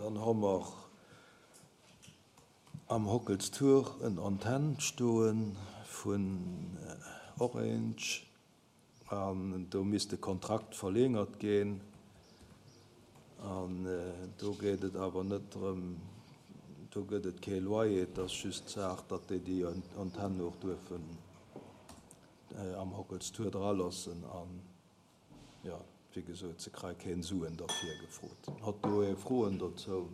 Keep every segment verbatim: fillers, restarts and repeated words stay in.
Dann hu mer am Hockelstour en Antenn stoe vun Orange an do misst de Kontrakt verlängert ginn. An do geet et awer net drëm, do gëtt et kee Loyer, et ass just d'Saach, datt déi déi Antenn och duerfen am Hockelstour draloossen. An jo, wéi gesot, se kréie keen Suen derfir gefrot. Hat do ee Froen dozou?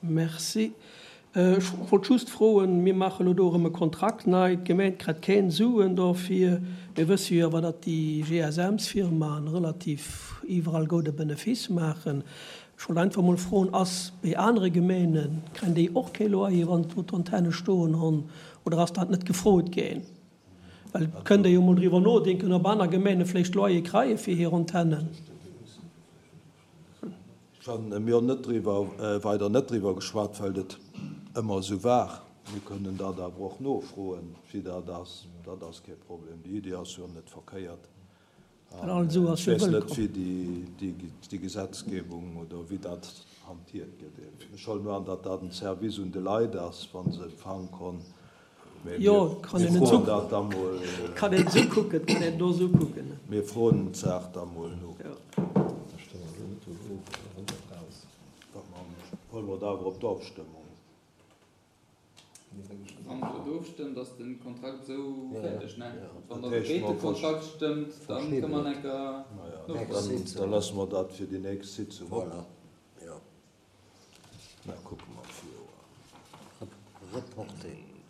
Merci. Ech wollt just froen, mir maache lo do erëm e Kontrakt nei, d'Gemeng kritt keng Suen dofir. Mir wësse jo awer, datt déi G S M-Firmaen relativ iwwerall goude Benefice maachen. Ech wollt einfach mol froen, ass bei anere Gemeenen, kréien déi och kee Loyer, wann do d'Antenne stoen hunn, oder ass dat net gefrot ginn? Well et kënnt ee jo mol driwwer nodenken, ob aner Gemeene vläicht Loyer kreie fir hir Antennen. Mir hunn net driwwer, weider net driwwer geschwat, well et ëmmer esou war. Mir kënnen dat awer och nofroen, wéi dat ass. Dat ass kee Problem. Déi Iddi ass jo net verkéiert. Well all Su ass Ech jo weess net, wëllkomm. wéi déi, déi Gesetzgebung oder wéi dat hantiert gëtt. Ech huelen elo an, datt dat en Service un de Leit ass, wa se Empfang hunn. Mee Jo, mir, kann mir een et froen esou, dat da mol, kann een esou kucken, kann een do esou kucken. mir froen d'Saach da mol no. Jo. Huele mer et awer op d'Ofstëmmung. Wann der et ofstëmmt, ass de Kontrakt esou fäerdeg, ne? Wann Dat der heescht, géint de mer versch Kontrakt stëmmt, da kënne mer enker Naja, nofroen. dann, da loosse mer dat fir déi nächst Sitzung op. Voilà, jo. Da kucke mer d'Fir. Reporté.